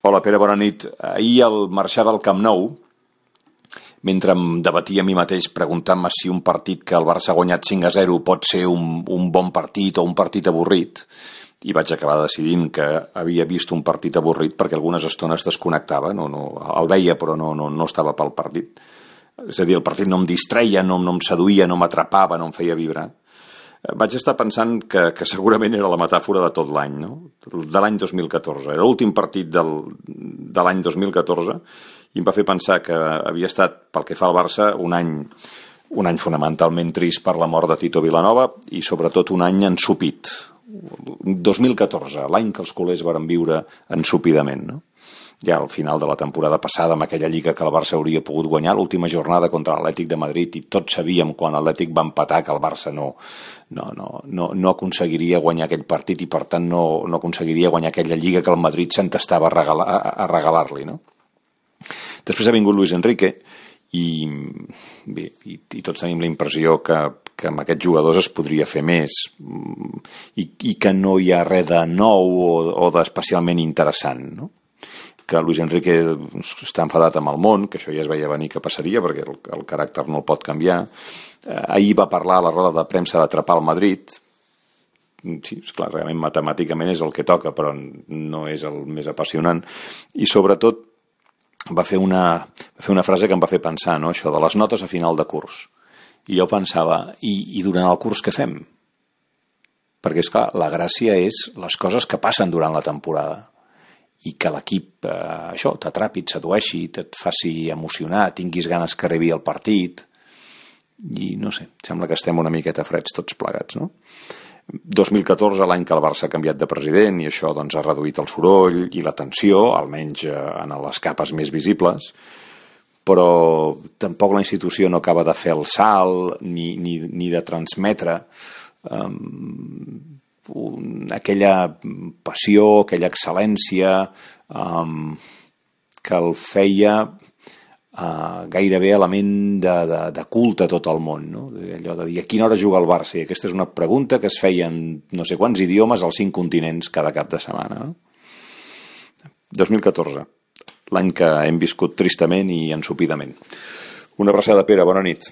Hola Pere, bona nit. Ahir al marxar del Camp Nou, mentre em debatia a mi mateix preguntant-me si un partit que el Barça ha guanyat 5-0 pot ser un bon partit o un partit avorrit, i vaig acabar decidint que havia vist un partit avorrit perquè algunes estones desconnectava, el veia però no estava pel partit. És a dir, el partit no em distreia, no em seduïa, no m'atrapava, no em feia vibrar. Vaig estar pensant que segurament era la metàfora de tot l'any, no? De l'any 2014. Era l'últim partit de l'any 2014 i em va fer pensar que havia estat, pel que fa al Barça, un any fonamentalment trist per la mort de Tito Vilanova i sobretot un any ensupit. 2014, l'any que els culers varen viure ensupidament, no? Ja al final de la temporada passada, amb aquella lliga que el Barça hauria pogut guanyar, l'última jornada contra l'Atlètic de Madrid, i tots sabíem quan l'Atlètic va empatar que el Barça no aconseguiria guanyar aquell partit i per tant no aconseguiria guanyar aquella lliga que el Madrid s'entestava a regalar-li, no? Després ha vingut Luis Enrique i tots tenim la impressió que amb aquests jugadors es podria fer més i que no hi ha res de nou o d'especialment interessant, no? Que Luis Enrique està enfadat amb el món, que això ja es veia venir que passaria perquè el caràcter no el pot canviar. Ahir va parlar a la roda de premsa d'atrapar el Madrid. Sí, esclar, realment matemàticament és el que toca, però no és el més apassionant. I sobretot va fer una frase que em va fer pensar, no? Això de les notes a final de curs. I jo pensava, i durant el curs què fem? Perquè, esclar, la gràcia és les coses que passen durant la temporada i que l'equip t'atrapi, et sedueixi, et faci emocionar, tinguis ganes que arribi el partit i no sé, sembla que estem una miqueta freds tots plegats, no? 2014, l'any que el Barça ha canviat de president i això doncs ha reduït el soroll i la tensió, almenys en les capes més visibles, però tampoc la institució no acaba de fer el salt ni de transmetre aquella passió, aquella excel·lència que el feia gairebé element de culte a tot el món, no? Allò de dir a quina hora juga el Barça, i aquesta és una pregunta que es feia en no sé quants idiomes als 5 continents cada cap de setmana, no? 2014, l'any que hem viscut tristament i ensupidament. Una abraçada, Pere, bona nit.